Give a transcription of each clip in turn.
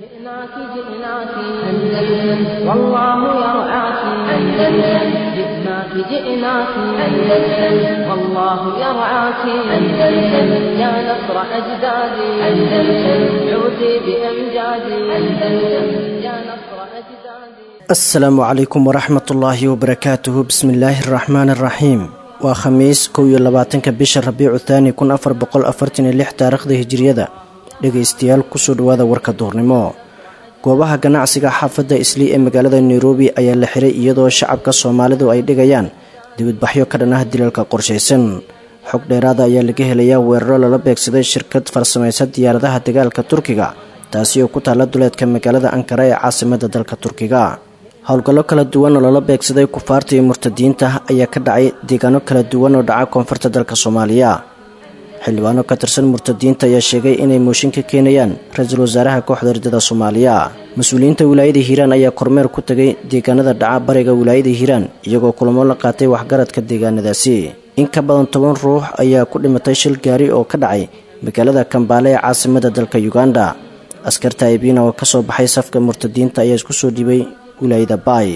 جئناك جئناك أندلس والله يرعاك أندلس جئناك جئناك أندلس والله يرعاك أندلس يا نصر أجدادي أندلس عودي بأمجادي أندلس يا نصر أجدادي. Asalaamu calaykum waraxmatullaahi wabarakaatuhu. Bismillaahi araxmaani araxiim. Waa Khamiis, 21-ka bisha Rabiicu Thaani 1446 taariikhda Hijiriyada. Dhegaystayaal, kusoo dhawaada warka duhurnimo. Goobaha ganacsiga xaafadda Islii ee magaalada Nairobi ayaa la xiray, iyadoo shacabka Soomaalidu ay dhigayaan dibadbaxyo ka dhan ah dilalka qorshaysan. Xog dheeraada ayaa laga helayaa weeraro lala beegsaday shirkad farsamaysa diyaaradaha dagaalka Turkiga, taasi oo ku taalla duleedka magaalada Ankara ee caasimada dalka Turkiga. Howlgallo kala duwan oo lala beegsaday kufaarta iyo murtadiinta ayaa ka dhacay deegaano kala duwan oo dhaca koonfurta dalka Soomaaliya. Xildhibaano ka tirsan murtadiinta ayaa sheegay inay mooshin ka keenayaan ra-iisul wasaaraha kooxda ridada Soomaaliya. Mas-uuliyiinta wilaayada Hiiraan ayaa kormeer ku tagay deegaanada dhaca bariga wilaayada Hiiraan, iyagoo kulamo la qaatay waxgaradka deegaanadaasi. In ka badan 10 ruux ayaa ku dhimatay shil gaari oo ka dhacay magaalada Kambaale ee caasimada dalka Uganda. Askarta Aybina oo kasoo baxay safka murtadiinta ayaa isku soo dhibay wilaayada Baay.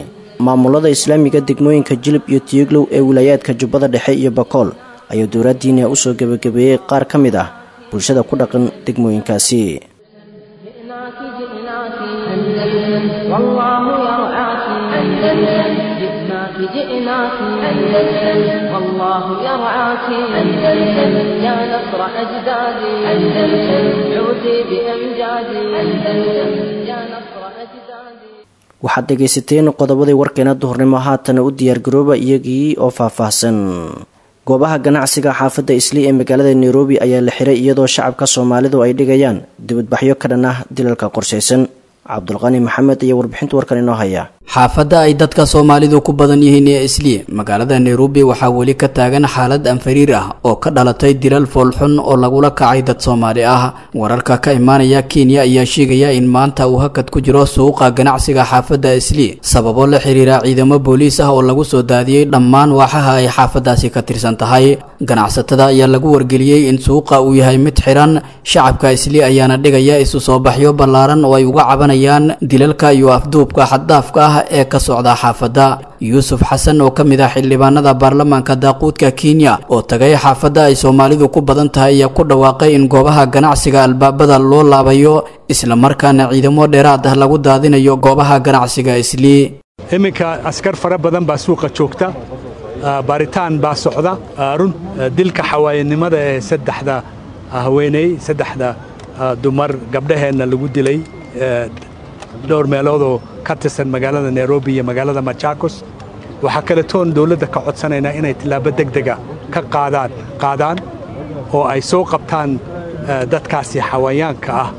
Maamulada islaamiga degmooyinka Jilib iyo Tiyeglow ee wilaayaadka Jubbada Dhexe iyo Bakool ayaa dowladdiina usoo gebagabeeyey qaar ka mid ah bulshada ku dhaqan degmooyinkaasi. جئناك جئناك أندلس والله يرعاك أندلس جئناك جئناك أندلس والله يرعاك أندلس يا نصر أجدادي أندلس عودي بأمجادي أندلس يا نصر أجدادي. Waxaad dhegaysateen qodobadii warkeena duhurnimo. Haatana u diyaargarooba iyagii oo faahfaahsan. Goobaha ganacsiga xaafadda Islii ee magaalada Nairobi ayaa la xiray, iyadoo shacabka Soomaalidu ay dhigayaan dibadbaxyo ka dhan ah dilalka qorshaysan. Cabdulqani Maxamed iyo warbixinta warkan inoo haya. Xaafadda ay dadka Soomaalidu ku badan yihiin ee Islii magaalada Nairobi waxaa weli ka taagan xaalad anfariir ah oo ka dhalatay dilal foolxun oo lagula kacay dad Soomaali ah. Wararka ka imaanaya Kenya ayaa sheegaya in maanta uu hakad ku jiro suuqa ganacsiga xaafadda Islii, sababo la xiriira ciidamo booliis ah oo lagu soo daadiyey dhammaan waaxaha ay xaafaddaasi ka tirsan tahay. Ganacsatada ayaa lagu wargeliyey in suuqa uu yahay mid xiran. Shacabka Islii ayaana dhigaya isu soo baxyo ballaaran oo ay uga cabanayaan dilalka iyo afduubka xaddaafka ah ee ka socda xaafadda. Yuusuf Xasan oo ka mid ah xildhibaanada baarlamaanka daaquudka Kenya oo tagay xaafadda ay Soomaalidu ku badan tahay ayaa ku dhawaaqay in goobaha ganacsiga albaabada loo laabayo, islamarkaana ciidamo dheeraad ah lagu daadinayo goobaha ganacsiga Islii. Iminka askar fara badan baa suuqa joogta, baaritaan baa socda. Run dilka xawaayanimada ee saddexda haweeney, saddexda dumar gabdhaheenna lagu dilay dhowr meeloodoo ka tirsan magaalada Nairobi iyo magaalada Machakos, waxaa kaletoon dowladda ka codsanaynaa inay tillaabo degdega ka qaadaan oo ay soo qabtaan dadkaasi xawayaanka ah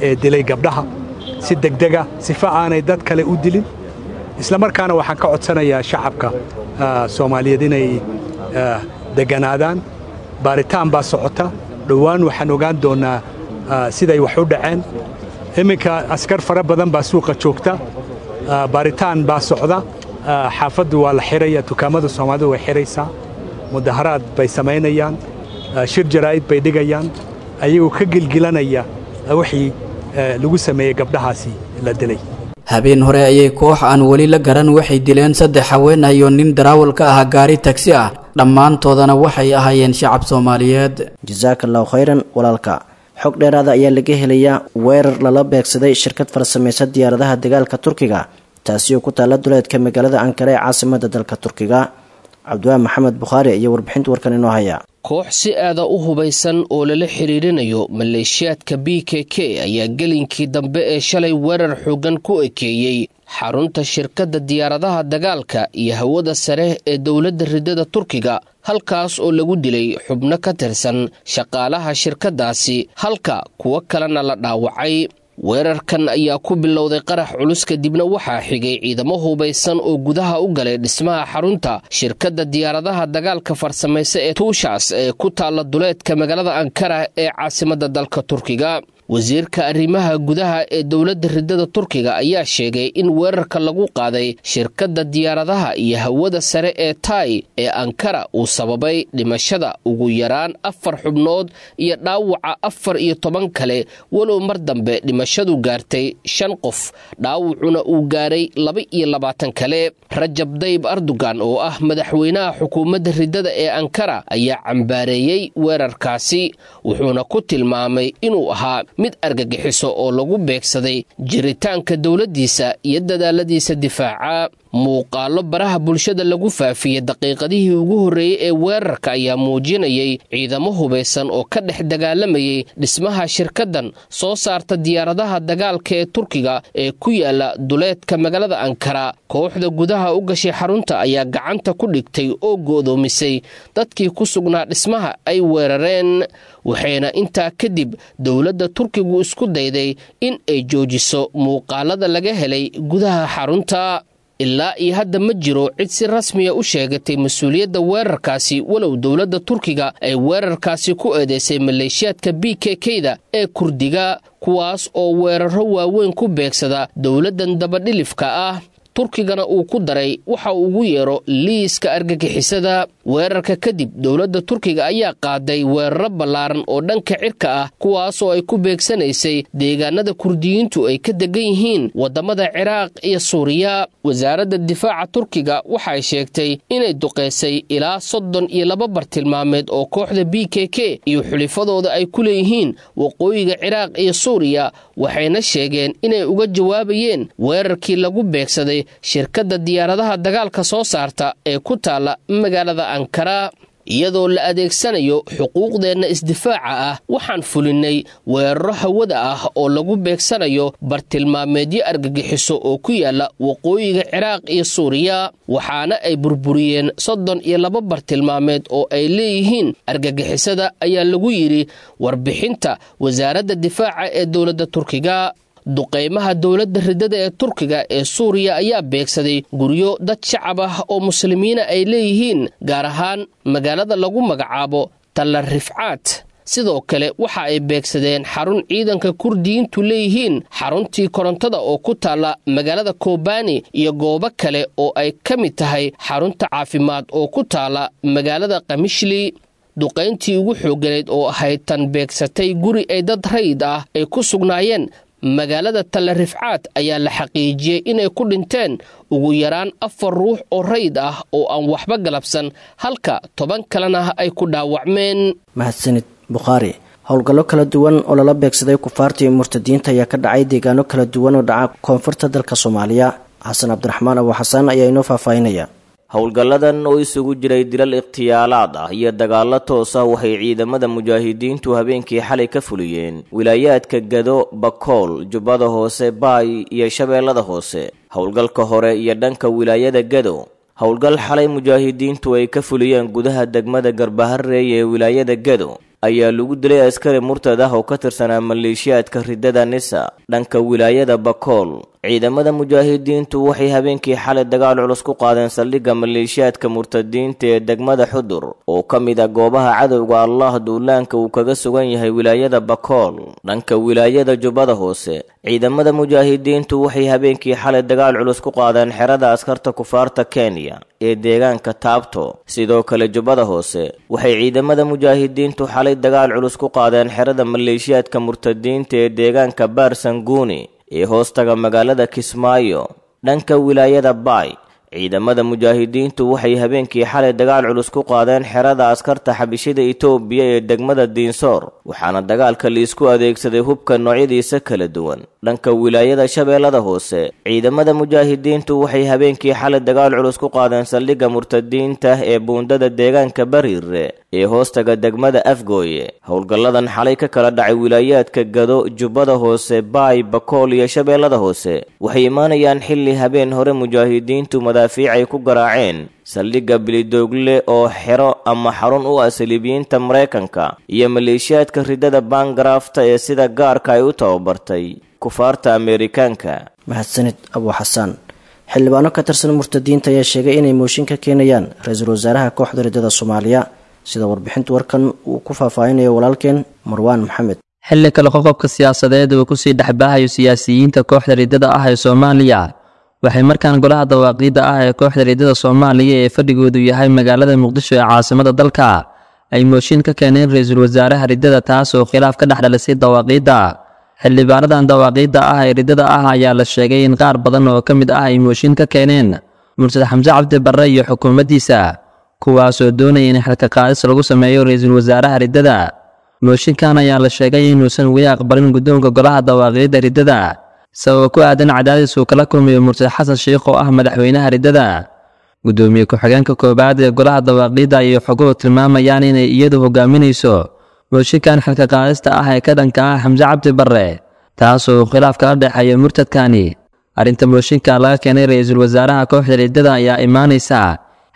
ee dilay gabdhaha si degdega, sifa aanay dad kale u dilin. Isla markaana waxaan ka codsanayaa shacabka Soomaaliyeed inay deganaadaan. Baaritaan baa socota, dhowaan waxaan ogaan doonnaa siday wax u dhaceen. Iminka askar fara badan baa suuqa joogta, baaritaan baa socda. Xaafaddu waa la xiraya, dukaamada Soomaalidu way xiraysaa, mudaharaad bay samaynayaan, shir jaraa'id bay dhigayaan, ayagoo ka gilgilanaya wixii lagu sameeyey gabdhahaasi la dilay. Habeen hore ayay koox aan weli la garan waxay dileen saddex haween ah iyo nin daraawal ka ah gaari tagsi ah, dhammaantoodana waxay ahaayeen shacab Soomaaliyeed. Jasaaka allahu khayran walaalka. Xog dheeraada ayaa laga helayaa weerar lala beegsaday shirkad farsamaysa diyaaradaha dagaalka Turkiga, taasi oo ku taalla duleedka magaalada Ankara ee caasimada dalka Turkiga. Cabdiwaa Maxamed Bukhaari ayaa warbixinta warkan inoo haya. Koox si aada u hubaysan oo lala xiriirinayo maleeshiyaadka BKK ayaa gelinkii dambe ee shalay weerar xooggan ku ekeeyey xarunta shirkadda diyaaradaha dagaalka iyo hawada sare ee dowladda ridada Turkiga, halkaas oo lagu dilay xubno ka tirsan shaqaalaha shirkaddaasi, halka kuwo kalena la dhaawacay. Weerarkan ayaa ku bilowday qarax culus, kadibna waxaa xigay ciidamo hubaysan oo gudaha u galay dhismaha xarunta shirkadda diyaaradaha dagaalka farsamaysa ee Tuushaas ee ku taalla duleedka magaalada Ankara ee caasimadda dalka Turkiga. Wasiirka arrimaha gudaha ee dowladda riddada Turkiga ayaa sheegay in weerarka lagu qaaday shirkadda diyaaradaha iyo hawada sare ee Tai ee Ankara uu sababay dhimashada ugu yaraan 4 xubnood iyo dhaawaca 14 kale, walow mar dambe dhimashadu gaartay 5 qof, dhaawacuna uu gaaray 22 kale. Rajab Dayib Erdogan oo ah madaxweynaha xukuumadda riddada ee Ankara ayaa cambaareeyey weerarkaasi, wuxuuna ku tilmaamay inuu ahaa mid argagixiso oo lagu beegsaday jiritaanka dowladdiisa iyo dadaaladiisa difaaca. Muuqaallo baraha bulshada lagu faafiyey daqiiqadihii ugu horreeyey ee weerarka ayaa muujinayay ciidamo hubaysan oo ka dhex dagaalamayay dhismaha shirkaddan soo saarta diyaaradaha dagaalka ee Turkiga ee ku yaala duleedka magaalada Ankara. Kooxda gudaha u gashay xarunta ayaa gacanta ku dhigtay oo go'doomisay dadkii ku sugnaa dhismaha ay weerareen, waxayna intaa kadib dowladda Turkigu isku dayday in ay joojiso muuqaalada laga helay gudaha xarunta. Ilaa iyo hadda ma jiro cid si rasmiya u sheegatay mas-uuliyadda weerarkaasi, walow dowladda Turkiga ay weerarkaasi ku eedeysay maleeshiyaadka BKK-da ee Kurdiga, kuwaas oo weeraro waaweyn ku beegsada dowladdan dabadhilifka ah. Turkigana uu ku daray waxa uu ugu yeero liiska argagixisada. Weerarka kadib dowladda Turkiga ayaa qaaday weeraro ballaaran oo dhanka cirka ah, kuwaasoo ay ku beegsanaysay deegaanada Kurdiyiintu ay ka degan yihiin waddamada Ciraaq iyo Suuriya. Wasaaradda difaaca Turkiga waxay sheegtay inay duqeysay ilaa 32 bartilmaameed oo kooxda BKK iyo xulifadooda ay ku leeyihiin waqooyiga Ciraaq iyo Suuriya, waxayna sheegeen inay uga jawaabayeen weerarkii lagu beegsaday shirkadda diyaaradaha dagaalka soo saarta ee ku taala magaalada Ankara. Iyadoo la adeegsanayo xuquuqdeenna isdifaaca ah, waxaan fulinnay weeraro hawada ah oo lagu beegsanayo bartilmaameedyo argagixiso oo ku yaala waqooyiga Ciraaq iyo Suuriya, waxaana ay burburiyeen 32 bartilmaameed oo ay leeyihiin argagixisada, ayaa lagu yidhi warbixinta wasaaradda difaaca ee dowladda Turkiga. Duqeymaha dowladda riddada ee Turkiga ee Suuriya ayaa beegsaday guryo dad shacab ah oo muslimiina ay leeyihiin, gaar ahaan magaalada lagu magacaabo Talla Rifcaat. Sidoo kale waxa ay beegsadeen xarun ciidanka Kurdiyiintu leeyihiin, xaruntii korontada oo ku taalla magaalada Kobani, iyo goobo kale oo ay ka mid tahay xarunta caafimaad oo ku taalla magaalada Qamishli. Duqayntii ugu xoogganeyd oo ahayd tan beegsatay guri ay dad rayid ah ay ku sugnaayeen magaalada Talla Rifcaat ayaa la xaqiijiyey inay ku dhinteen ugu yaraan 4 ruux oo rayid ah oo aan waxba galabsan, halka 10 kalena ay ku dhaawacmeen. Mahadsanid Bukhaari. Howlgallo kala duwan oo lala beegsaday kufaarta iyo murtadiinta ayaa ka dhacay deegaano kala duwan oo dhaca koonfurta dalka Soomaaliya. Xasan Cabdiraxmaan Abu Xasaan ayaa inoo faahfaahinaya. Howlgalladan oo isugu jiray dilal ikhtiyaalaad ah iyo dagaallo toos ah waxay ciidamada mujaahidiintu habeenkii xalay ka fuliyeen wilaayaadka Gado, Bakool, Jubbada Hoose, Baay iyo Shabeellada Hoose. Howlgalka hore iyo dhanka wilaayada Gado, howlgal xalay mujaahidiintu ay ka fuliyeen gudaha degmada Garbaharey ee wilaayada Gado ayaa lagu dilay askari murtad ah oo ka tirsanaa maleeshiyaadka riddada Nisa. Dhanka wilaayada Bakool, ciidamada mujaahidiintu waxay habeenkii xalay dagaal culus ku qaadeen saldhigga maleeshiyaadka murtadiinta ee degmada Xudur oo ka mid ah goobaha cadowga Allah duulaanka uu kaga sugan yahay wilaayada Bakool. Dhanka wilaayada Jubbada Hoose, ciidamada mujaahidiintu waxay habeenkii xalay dagaal culus ku qaadeen xerada askarta kufaarta Kenya ee deegaanka Taabto. Sidoo kale Jubbada Hoose waxay ciidamada mujaahidiintu xalay dagaal culus ku qaadeen xerada maleeshiyaadka murtadiinta ee deegaanka Baarsanguuni ee hoostaga magaalada Kismaayo. Dhanka wilaayada Baay, ciidamada mujaahidiintu waxay habeenkii xalay dagaal culus ku qaadeen xerada askarta xabishida Itoobiya ee degmada Diinsoor, waxaana dagaalka liisku adeegsaday hubka noocyadiisa kala duwan. Dhanka wilaayada Shabeellada Hoose, ciidamada mujaahidiintu waxay habeenkii xalay dagaal culus ku qaadeen saldhigga murtadiinta ee buundada deegaanka Bariire ee hoostaga degmada Afgooye. Howlgalladan xalay ka kala dhacay wilaayaadka Gado, Jubbada Hoose, Baay, Bakool iyo Shabeellada Hoose waxay imaanayaan xilli habeen hore mujaahidiintu madaafiic ay ku garaaceen saldhigga Bilidoogle oo xero ama xarun u ah saliibiyiinta Mareykanka iyo maleeshiyaadka riddada Bangarafta ee sida gaarka ay u tababartay kufaarta Ameerikaanka. Mahadsanid Abu Xasaan. Xildhibaano ka tirsan murtadiinta ayaa sheegay inay mooshin ka keenayaan ra-iisul wasaaraha kooxda riddada Soomaaliya, sida warbixinta warkan uu ku faahfaahinayo walaalkeen Marwaan Maxamed. Xilli kale qoqobka siyaasadeed uu kusii dhexbaahayo siyaasiyiinta kooxda riddada ah ee Soomaaliya, waxay markaan golaha dawaaqiidda ah ee kooxda riddada Soomaaliya ee fadhigoodu yahay magaalada Muqdisho ee caasimada dalka ay mooshin ka keeneen ra-iisul wasaaraha riddada, taas oo khilaaf ka dhex dhalisay dawaaqiidda. Xildhibaanadan dawaaqiidda ah ee riddada ah ayaa la sheegay in qaar badan oo ka mid ah ay mooshin ka keeneen Mursad Xamse Cabdi Barre iyo xukuumaddiisa, kuwaasoo doonaya in xilka qaadis lagu sameeyo ra-iisul wasaaraha riddada. Mooshinkan ayaa la sheegay inuusan weli aqbalin guddoonka golaha dawaaqiidda riddada, sababa ku aadan cadaadis uu kala kulmayo Mursad Xasan Sheikh oo ah madaxweynaha riddada. Gudoomiye ku-xigeenka koowaad ee golaha dawaaqiidda ayay xoguhu tilmaamayaan inay iyadu hogaaminayso mooshinkan xilka qaadista ah ee ka dhanka ah Xamse Cabdi Barre, taasoo khilaaf kala dhexeeya murtadkani. Arrinta mooshinka laga keenay ra-iisul wasaaraha kooxda riddada ayaa imaanaysa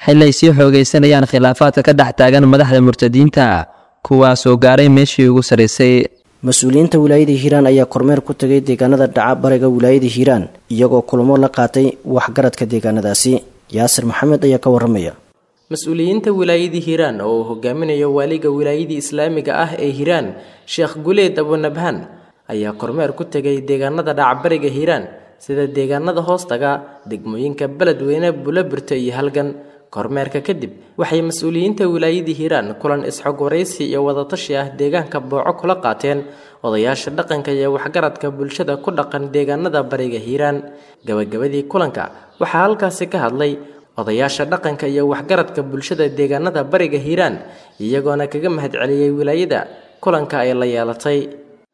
xili ay sii xoogaysanayaan khilaafaadka ka dhex taagan madaxda murtadiinta, kuwaasoo gaaray meeshii ugu sarraysay. Mas-uuliyiinta wilaayada Hiiraan ayaa kormeer ku tagay deegaanada dhaca bariga wilaayada Hiiraan, iyagoo kulamo la qaatay waxgaradka deegaanadaasi. Yaasir Maxamed ayaa ka waramaya. Mas-uuliyiinta wilaayadii Hiiraan oo uu hogaaminayo waaliga wilaayadii islaamiga ah ee Hiiraan, Sheekh Guleed Abunabhaan, ayaa kormeer ku tegay deegaanada dhacbariga Hiiraan, sida deegaanada hoostaga degmooyinka Beledweyne, Bulabirto iyo Halgan. Kormeerka kadib waxay mas-uuliyiinta wilaayadii Hiiraan kulan isxog waraysi iyo wadatashi ah deegaanka Booco kula qaateen odayaasha dhaqanka iyo waxgaradka bulshada ku dhaqan deegaanada bariga Hiiraan. Gabagabadii kulanka waxaa halkaasi ka hadlay odayaasha dhaqanka iyo waxgaradka bulshada deegaanada bariga Hiiraan, iyagoona kaga mahadceliyey wilaayada kulanka ay la yeelatay.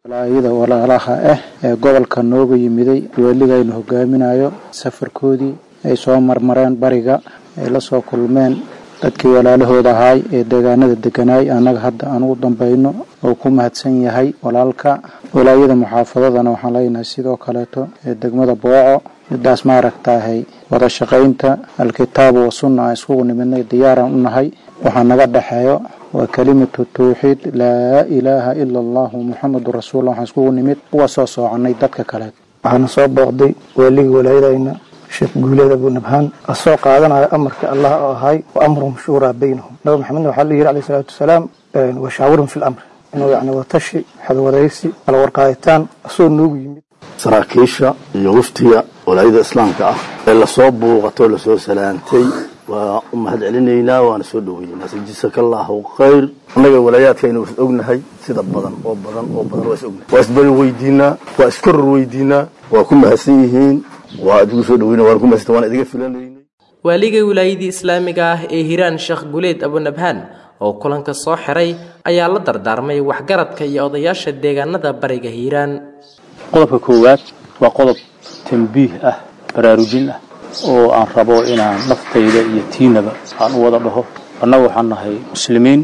Walaayada walaalaha ah ee gobolka nooga yimiday, weligaynu hogaaminayo safarkoodii ay soo marmareen bariga, ay la soo kulmeen dadkii walaalahooda ahaay ee deegaanada deganaay, annaga hadda aan ugu dambayno oo ku mahadsan yahay walaalka. Walaayada muxaafadadana waxaan leenahay sidoo kaleeto ee degmada Booco, midaas maaragtaahay wada shaqaynta alkitaabu wa sunna aan iskugu nimidnay, diyaaraan u nahay. Waxaa naga dhexeeyo waa kelimatu tawxiid, laa ilaaha ila allahu muxamedun rasuullah. Waxaan iskugu nimid uga soo soocannay dadka kaleet. Waxaana soo booqday waaligii walaayadayna Sheekh Guuleed Abunabhaan, asoo qaadanayo amarka Allah oo ahay wa amruhum shuuraa baynahum. Nabi Maxamedna waxaa la yidhi calayhi salaatu wasalaam, washaawirhum fi lamr, inuu yacni watashi, xadwaraysi, kala warqaaditaan asoo noogu yimid. Saraakiisha iyo waftiga walaayada islaamka ah ee lasoo buuqatay oo lasoo salaantay waa u mahad celinaynaa, waana soo dhoweynaynaa. Jasakallaahu khayr. Annaga walaayaadkaynu is ognahay sida badan oo badan oo badan, waa is ognahay, waa isbari weydiinaa, waa iskoror weydiinaa. Waa ku mahadsan yihiin, waa idigu soo dhoweyna, waana ku mahadsan, waana idiga filanaynay. Waaliga wilaayadii islaamiga ah ee Hiiraan, Sheekh Guleed Abunabhaan, oo kulanka soo xiray ayaa la dardaarmay waxgaradka iyo odayaasha deegaanada bariga Hiiraan. Qodobka koowaad waa qodob tambiih ah, baraarujin ah, oo aan rabo inaan naftayda iyo tiinaba aan u wada dhaho. Annagu waxaan nahay muslimiin,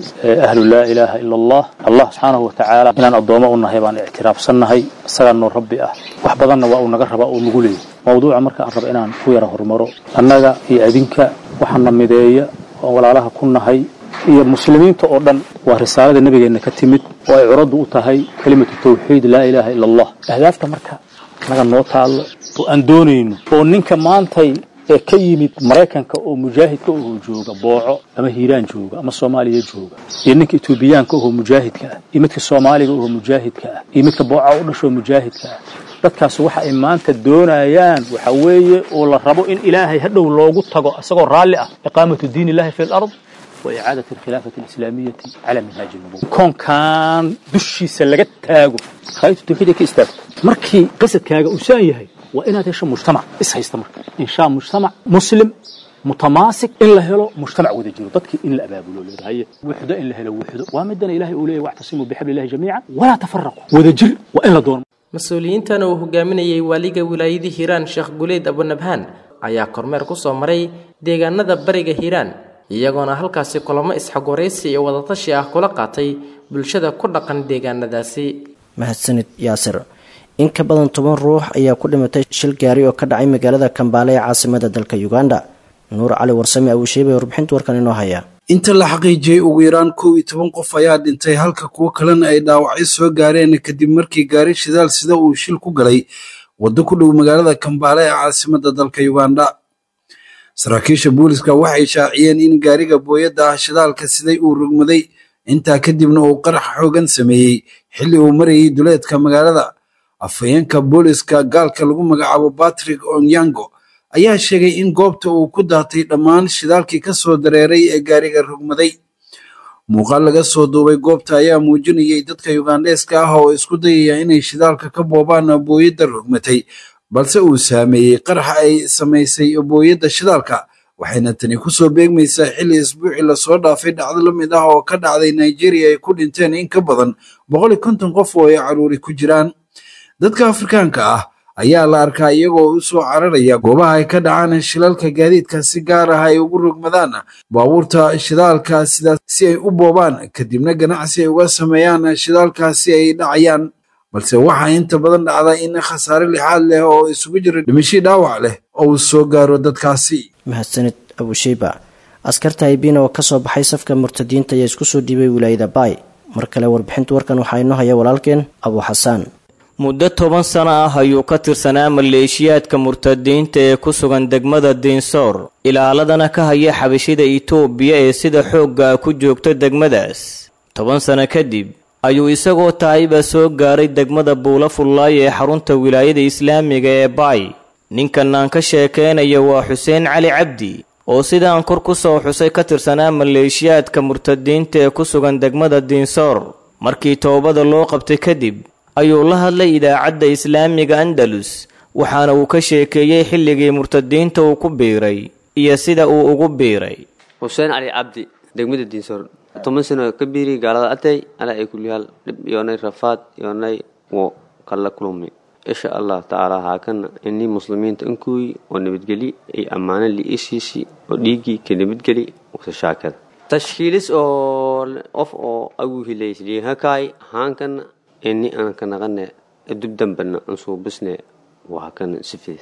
ahlu laa ilaaha ila allah. Allah subxaanahu wa tacaala inaan addoommo u nahay baan ictiraafsannahay, isagaa noo rabbi ah, wax badanna waa uu naga rabaa oo nagu leeyahy. Mawduuca marka aan rabo inaan ku yara horumaro, annaga iyo adinka waxaana mideeya oon walaalaha ku nahay iyo muslimiinta oo dhan waa risaalada nabigeenna ka timid oo ay curaddu u tahay kelimatu tawxiid, laa ilaaha ila allah. Ahdaafta marka annaga noo taallo oo aan doonayno, oo ninka maantay ee ka yimid Maraykanka oo mujaahidka oo jooga Booco ama Hiiraan jooga ama Soomaaliya jooga, iyo ninka Etoobiyaanka oo mujaahidka ah, iyo midka Soomaaliga oo mujaahidka ah, iyo midka Booca u dhasho mujaahidka ah, dadkaas waxa ay maanta doonayaan waxa weeye oo la rabo in Ilaahay hadhow loogu tago isagoo raalli ah, iqaamatu diin illahi fi al-ard wa icaadati alkhilaafati alislaamiyati cala minhaaji nubuwa. Koonkan dushiisa laga taago khaytu tawxiid ay ka istaagto. Markii qasadkaaga uu saan yahay, waa inaad hesho mujtamac is haysta. Marka inshaa mujtamac muslim mutamaasik in la helo, mujtamac wada jiro, dadkii in la abaabulo leedahay wuxdo, in la helo wuxdo waa midana Ilaahay uu leeyahay wactasimuu bixablillahi jamiica walaa tafaraqu. Wada jir waa in la doono. Mas-uuliyiintan uu hogaaminayay waaliga wilaayadii Hiiraan, Sheekh Guleed Abunabhaan, ayaa kormeer ku soo maray deegaanada bariga Hiiraan, iyagoona halkaasi kulamo isxog waraysi iyo wadatashi ah kula qaatay bulshada ku dhaqan deegaanadaasi. Mahadsanid Yaasir. In ka badan 10 ruux ayaa ku dhimatay shil gaari oo ka dhacay magaalada Kambaale ee caasimada dalka Uganda. Nuur Cali Warsame Abusheebe warbixinta warkan inoo haya. Inta la xaqiijiyey ugu yaraan 11 qof ayaa dhintay, halka kuwo kalena ay dhaawacyo soo gaareen kadib markii gaari shidaal sida uu shil ku galay waddo ku dhow magaalada Kambaale ee caasimada dalka Uganda. Saraakiisha booliska waxay shaaciyeen in gaariga booyadda ah shidaalka siday uu rogmaday, intaa kadibna uu qarax xoogan sameeyey Xilli uu marayay duleedka magaalada, afhayeenka booliska gaalka lagu magacaabo Patrick Onyango ayaa sheegay in goobta uu ku daatay dhammaan shidaalkii ka soo dareeray ee gaariga rogmaday. Muuqaal laga soo duubay goobta ayaa muujinayay dadka Yugandheeska ah oo isku dayaya inay shidaalka ka boobaan booyadda rogmatay, balse uu saameeyey qaraxa ay samaysay booyadda shidaalka. Waxayna tani kusoo beegmaysaa xilli isbuucii lasoo dhaafay dhacdo la mid ah oo ka dhacday Nigeria ay ku dhinteen in ka badan 150 qof oo ay caruuri ku jiraan. Dadka Afrikaanka ah ayaa la arkaa iyagoo u soo cararaya goobaha ay ka dhacaan shilalka gaadiidka, si gaar ah ay ugu rogmadaan baabuurta shidaalka sidaas si ay u boobaan, kadibna ganacsi ay uga sameeyaan shidaalkaasi ay dhacayaan. Balse waxaa inta badan dhacda in khasaare lixaad leh oo isugu jira dhimashii dhaawac leh oo uu soo gaaro dadkaasi. Mahadsanid Abusheyba. Askarta Aybina oo kasoo baxay safka murtadiinta ayaa isku soo dhiibay wilaayada Baay. Mar kale warbixinta warkan waxaa inoo haya walaalkeen Abu Xasaan. Muddo 10 sano ah ayuu ka tirsanaa maleeshiyaadka murtadiinta ee ku sugan degmada Diinsoor, ilaaladana ka haya xabashida Itoobiya ee sida xoogga ku joogta degmadaas. 10 sano kadib ayuu isagoo taayiba soo gaaray degmada Buula Fullaay ee xarunta wilaayada islaamiga ee Baay. Ninkan aan ka sheekeynaya waa Xuseen Cali Cabdi oo sidaan kor ku soo xusay ka tirsanaa maleeshiyaadka murtadiinta ee ku sugan degmada Diinsoor. Markii toobada loo qabtay kadib ayuu la hadlay idaacadda islaamiga Andalus, waxaana uu ka sheekeeyey xilligii murtadiinta uu ku biiray iyo sida uu ugu biiray. Xuseen Cali Cabdi, degmada Diinsoor, 10 sano ka biiri gaalada atay ala ay kulliyaal dhib yoonay rafaad yoonay wo kala kulmi. Insha Allah tacaala haakana inii muslimiinta inkuy oo nabadgeli ay ammaano liisiisi oo dhiiggii ka nabadgeli wasa shaakada tashkiilis oo qof oo agu hilaysliihakaay haankana ini aan ka naqane dub dambana aan suubisne waa kan sifid.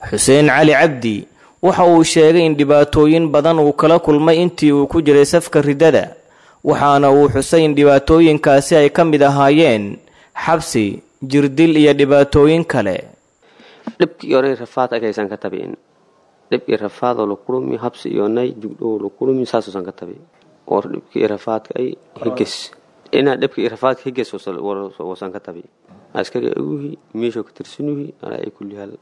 Xuseen Cali Cabdi waxa uu sheegay in dhibaatooyin badan uu kala kulmay intii uu ku jiray safka riddada, waxaana uu xusay in dhibaatooyinkaasi ay ka mid ahaayeen xabsi, jirdil iyo dhibaatooyin kale. Dhibki yoonay rafaad agaysan ka tabiin, dhib iyo rafaad oo la kulmi, habsi yoonay jugdhow la kulmi, saasoosan ka tabi oo dhibki iyo rafaadka ay higes inaa dhibka iyo rafaadka higes wasan ka tabi. Askari aguhi meeshoo ka tirsanuhi alaa ay kullihaal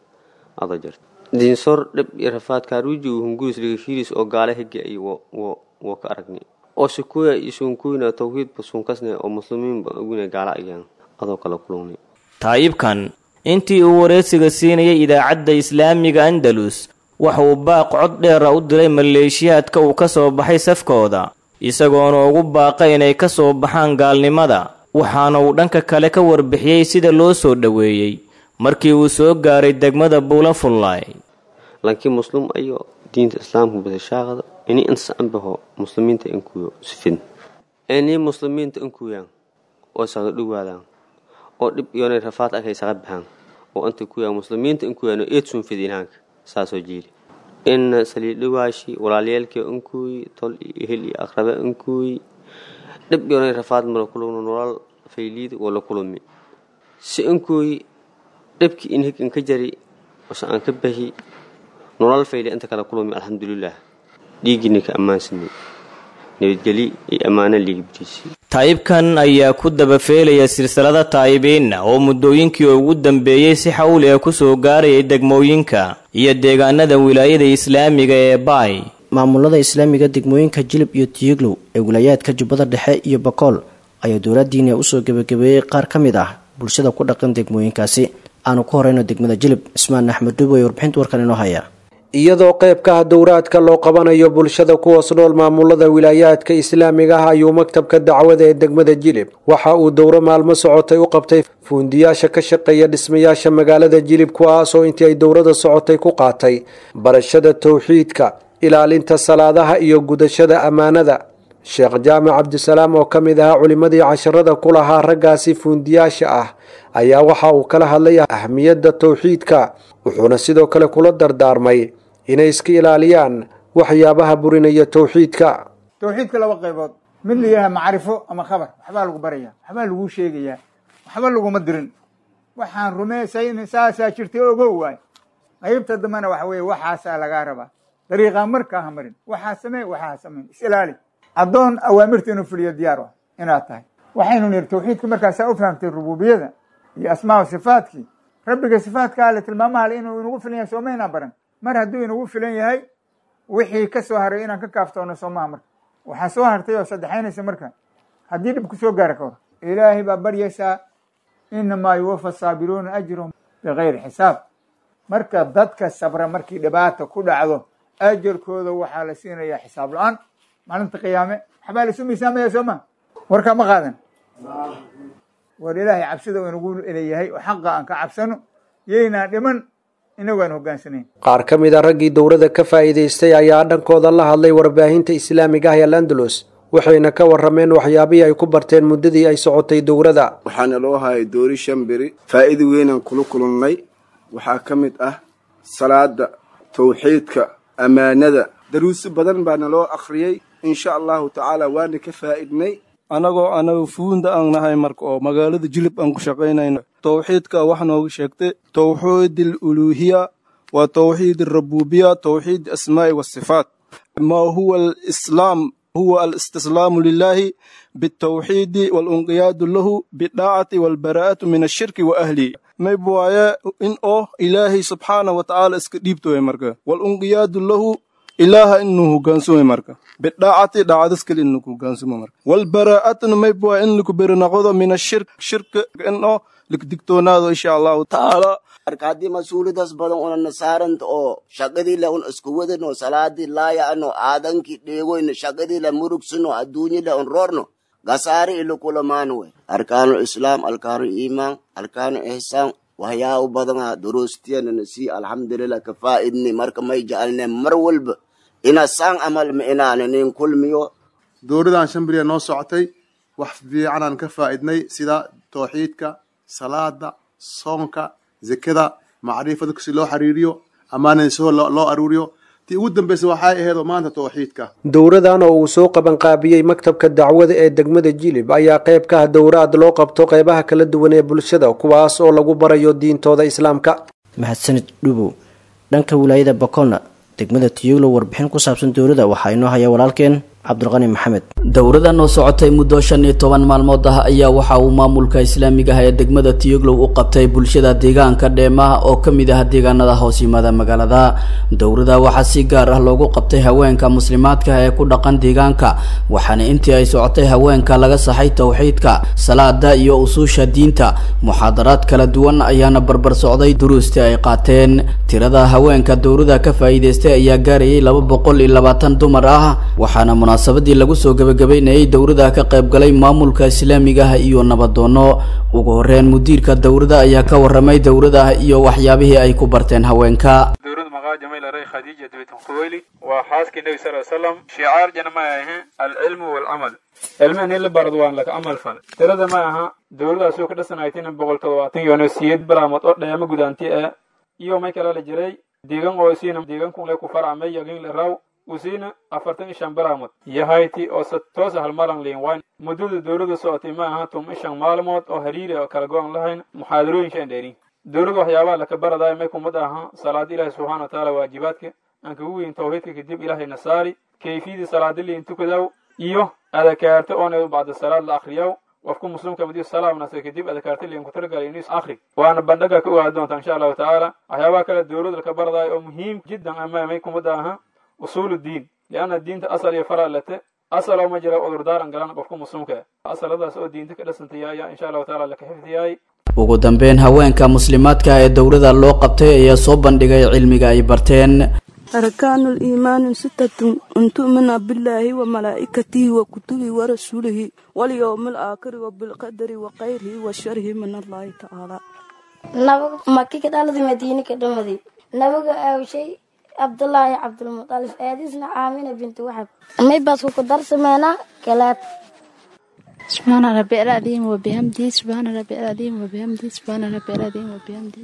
ada jarta Diinsoor dhib iyo rafaad kaaruuji hunguris ligashiiris oo gaala hige ay wo ka aragni oo sikuya iyo suunkuyna tawxiidba suunkasne oo muslimiinba aguna gaala ayaan adoo kala kulungni. Taayibkan intii uu wareysiga siinayay idaacadda islaamiga Andalus waxa uu baaq cod dheera u diray maleeshiyaadka uu ka soo baxay safkooda, isagoona ugu baaqay inay ka soo baxaan gaalnimada. Waxaana uu dhanka kale ka warbixiyey sida loo soo dhoweeyey markii uu soo gaaray degmada Buula Fullaay. Laakiin muslim ayo diinta islaamka basashaaqada ini insa anbaho muslimiinta inkuyo sifin ini muslimiinta inkuyaan oo saga dhuwaadaan oo dhib yoonay rafaad akay saga baxaan oo inta kuyaan muslimiinta inkuyaan oo eed sun fidinaanka saasoo jiili in saliid dhawaashi walaalyaalkii inkuy tol iyo ehel iyo aqrabe inkuy dhib yoonay rafaad mala kulumno nolol fayliid oo la kulumi si inkuy dhibkii in hig inka jari ose aan ka bahi nolol fayli inta kala kulumi. Alxamdulilah dhiiggiina ka ammaansanay nabadgeli iyo ammaano liigibtiisi. Taayibkan ayaa ku dabafeelaya silsilada taayibiinna oo muddooyinkii ugu dambeeyey si xawli ah ku soo gaarayay degmooyinka iyo deegaanada wilaayada islaamiga ee Baay. Maamulada islaamiga degmooyinka Jilib iyo Tiyiglow ee wilayaadka Jubbada Dhexe iyo Bakool ayaa dowladiina usoo gebagabeeyey qaar ka mid ah bulshada ku dhaqan degmooyinkaasi. Aanu ku horeyno degmada Jilib, Cismaan Axmed Dubo ee warbixinta warkan inoo haya. Iyadoo qayb ka ah dowraadka loo qabanayo bulshada kuwaas nool maamulada wilaayaadka islaamiga ah ayuu maktabka dacwada ee degmada Jilib waxa uu dowro maalmo socotay u qabtay fuundiyaasha ka shaqeeya dhismayaasha magaalada Jilib, kuwaasoo intii ay dowrada socotay ku qaatay barashada towxiidka, ilaalinta salaadaha iyo gudashada ammaanada. Sheekh Jaamac Cabdisalaam oo ka mid ahaa culimadii casharada ku lahaa raggaasi fuundiyaasha ah ayaa waxa uu kala hadlay ahmiyadda towxiidka, wuxuuna sidoo kale kula dardaarmay inay iska ilaaliyaan waxyaabaha burinaya towxiidka. Towxiidka laba qaybood, mid la yidhaha macrifo ama khabar, waxbaa lagu baraya, waxbaa lagu sheegayaa, waxba laguma dirin, waxaan rumaysayn saasaa jirtay ogow waay. Qaybta dambena waxa weeye waxaasaa lagaa rabaa, dariiqaa markaa ha marin, waxaa samee, waxaa ha samayn, is ilaali. Addoon awaamirta inuu fuliyo diyaar ah inaad tahay, Waxaynu niri tawxiidka markaasaa u fahamtay rububiyada iyo asmaa sifaatkii rabbiga, sifaadka ale, tilmaamaha ale inuu inagu filan yahay, soomaynaan baran? Mar hadduu inagu filan yahay, wixii ka soo haray inaan ka kaaftoono soomaha? Marka waxaa soo hartay oo saddexaynaysa, marka haddii dhib ku soo gaara ka hor, Ilaahay baa baryaysaa. Inamaa yuwafa saabiruuna ajrahum bigayri xisaab. Marka dadka sabra markii dhibaata ku dhacdo, ajarkooda waxaa la siinayaa xisaab la-aan. Maalinta qiyaame waxbaa laisu miisaamaya, soo ma? Warkaa ma qaadan. War Ilaahay cabsida uu inagu leeyahay oo xaqa aan ka cabsano, yaynaan dhiman inagu aan hogaansanayn. Qaar ka mid a raggii dowladda ka faa'iidaystay ayaa dhankooda la hadlay warbaahinta islaamiga ah ee Al-Andalus, waxayna ka warrameen waxyaabihii ay ku barteen muddadii ay socotay dowladda. Waxaana loo hayay doori 5 beri. Faa'iido weynaan kula kulannay. Waxaa ka mid ah salaada, tawxiidka, ammaanada. Daruusi badan baana loo akhriyey. Insha Allahu tacaala waana ka faa'idnay. Anagoo anaga fuunda aan nahay, marka oo magaalada Jilib aan ku shaqaynayno, tawxiidka wax nooga sheegtay: tawxiid aluluuhiya wa tawxiid alrububiya, tawxiid asmaa'i wasifaat. Ma huwa alislaam? Huwa alistislaamu lilahi bitawxiidi walunqiyaadu lahu bidaacati walbaraa'atu min ashirki wa ahlihi. Mayb waaye in oo Ilaahay subxaana wa tacaala iska dhiibto marka, walunqiyaadu lahu, Ilaaha inuu hogaansamo marka, bidaacati, daacadis kali inuu hogaansamo marka, walbaraa'atuna mayb waa in laku beri noqdo, min ashirk, shirka in oo lakdigtoonaado, insha Allahu tacaala. Marka haddii mas-uuliyadaas badan unana saaranta oo shaqadii le un isku wadano, salaadii laaya'no, aadankii dheegoyno, shaqadii le murugsano, adduunyi le un roorno, gasaari ilo kulamaano wey. Arkaanu islaam, arkaanu iimaan, arkaanu ihsaan, waxyaabo badana duruustiyanana sii, alxamdulilah, ka faa'idni. Marka may jecelne mar walba ina saan amal ma inaana nin kulmiyo. Dowladan 5 beriya noo socotay, wax fiicanaan ka faa'idnay, sida tawxiidka, salaada, soonka, zekada, macrifada si loo xiriiriyo, ammaanada soo loo aruuriyo. Tii ugu dambaysa waxay ahayd oo maanta tawxiidka. Dowradan oo uu soo qabanqaabiyey maktabka dacwada ee degmada Jilib ayaa qayb ka ah dowraad loo qabto qeybaha kala duwan ee bulshada, kuwaas oo lagu barayo diintooda islaamka. Mahadsanid Dhubow. Dhanka wilaayada Bakolna, degmada Tiyuglo, warbixin ku saabsan dowladda waxaa inoo haya walaalkeen Cabdulqani Maxamed. Dowradan oo socotay muddo 15 maalmood ah ayaa waxa uu maamulka islaamiga ah ee degmada Tiyoglow u qabtay bulshada deegaanka Dheemaha oo ka mid ah deegaanada hoos yimaada magaalada. Dowrada waxaa si gaar ah loogu qabtay haweenka muslimaadka ee ku dhaqan deegaanka, waxaana intii ay socotay haweenka laga saxay tawxiidka, salaada iyo usuusha diinta. Muxaadaraad kala duwan ayaana barbar socday duruustii ay qaateen. Tirada haweenka dowrada ka faa'iidaystay ayaa gaarayay 220 dumar ah, waxaana munaasabadii lagu soo gabagabeynayay dowrada ka qayb galay maamulka islaamiga ah iyo nabadoono. Ugu horeyn, mudiirka dowrada ayaa ka warramay dowrada iyo waxyaabihii ay ku barteen haweenka. Dowrada maqaa Jamiil Aray Khadiija bint Khuwaylid, waa xaaskii Nabi sal salam. Shicaar jana ma ahe alcilmu walcamal, cilmihan in la barado waan laka camal fal. Tirada ma aha dowladaasoo ka dhasanaytina 178 bilaamood oo dheema gudaanti ah iyo may kala la jiray deegan oo isiina deegankun le ku farcamay yagin la raw usiina 45 bilaamood yahayti oo se toosa halmalan liin wayn. Muddada dowladda socotay ma aha 15 maalmood oo hariiri oo kala go-an lahayn, muxaadarooyin shan dheerin. Dowladda waxyaabaha laka baradayo may kumad aha salaada Ilaahi subxaana wa tacaala, waajibaadka aan kagu weyn tawxiidka, kadib Ilaahayna saari kayfiyadii salaada liin tukadaw iyo adakaarta oona bacda salaad la akhriyaw. Qofku muslimka madiyo salaamnase kadib adakaarta liin ku talagalay inuu akhri, waana bandhaga ka ogaa doonta insha Allahu tacaala. Waxyaabaha kale dowladda laka baradayo oo muhiim jiddan ama may kumad aha usuul diin, lianna diinta asal iyo fara late, asal oo ma jira cudurdaaran galan qofku muslimka, asaladaas oo diinta ka dhasantay ayaa insha Allahu tacaala laka xifdiyay. Ugu dambeyn, haweenka muslimaadka ee dowrada loo qabtay ayaa soo bandhigay cilmiga ay barteen. أركان الإيمان ستة: أن تؤمن بالله وملائكته وكتبه ورسوله واليوم الآخر وبالقدر وخيره وشره من الله تعالى. Nabiga Maki ka dhaladi, Madiine ka dhamaday. Nabiga aawshay Cabdulaahi Cabdulmutalif, aadisna Aamina binti Waxab. May baasku ku darsameynaa kalaab. سبحان ربي العظيم وبحمده، سبحان ربي العظيم وبحمده، سبحان ربي العظيم وبحمده.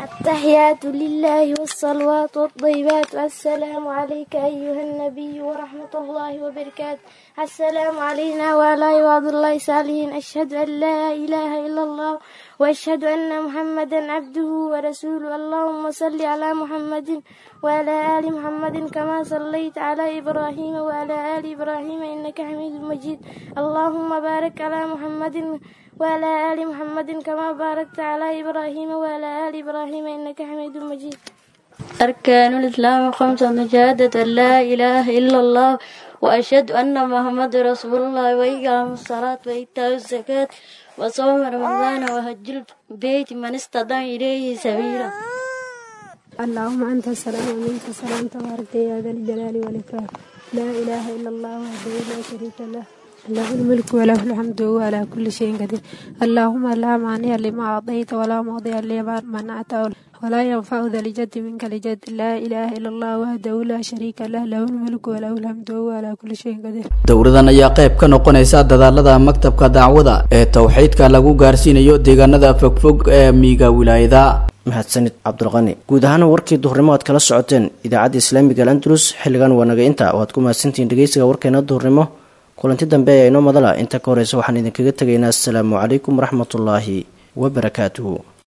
التحيات لله والصلوات والطيبات، السلام عليك أيها النبي ورحمة الله وبركاته، السلام علينا وعلى عباد الله الصالحين، أشهد أن لا إله إلا الله. وأشهد أن محمدا عبده ورسوله. اللهم صل على محمد وعلى آل محمد كما صليت على إبراهيم وعلى آل إبراهيم إنك حميد مجيد. اللهم بارك على محمد وعلى آل محمد كما باركت على إبراهيم وعلى آل إبراهيم إنك حميد مجيد. أركان الإسلام خمسة: شهادة أن لا إله إلا الله وأشهد أن محمد رسول الله وإقام الصلاة وإيتاء الزكاة وصوم رمضان وحج البيت من استطاع إليه سبيلا. اللهم أنت السلام ومنك السلام، تبارك يا ذا الجلال والإكرام. لا إله إلا الله وحده لا شريك له، له الملك وله الحمد وهو على كل شيء قدير. اللهم لا مانع لما أعطيت ولا معطي لما منعت ولا ينفع ذا الجد منك الجد. لا إله إلا الله وحده لا شريك له، له الملك وله الحمد وهو على كل شيء قدير. Dowradan ayaa qayb ka noqonaysa dadaalada maktabka dacwada ee towxiidka lagu gaarsiinayo deegaanada fogfog ee miyiga wilaayada. Mahadsanid Cabdulqani. Guud ahaan warkii duhurnimo aad kala socoteen idaacadda islaamiga Al-Andalus xilligan waa naga inta. Waad ku mahadsantihiin dhegeysiga warkeena duhurnimo. Kulanti dambe ayaa inoo madala. Inta ka horeysa waxaan idinkaga tegaynaa asalaamu calaykum waraxmatullaahi wabarakaatuhu.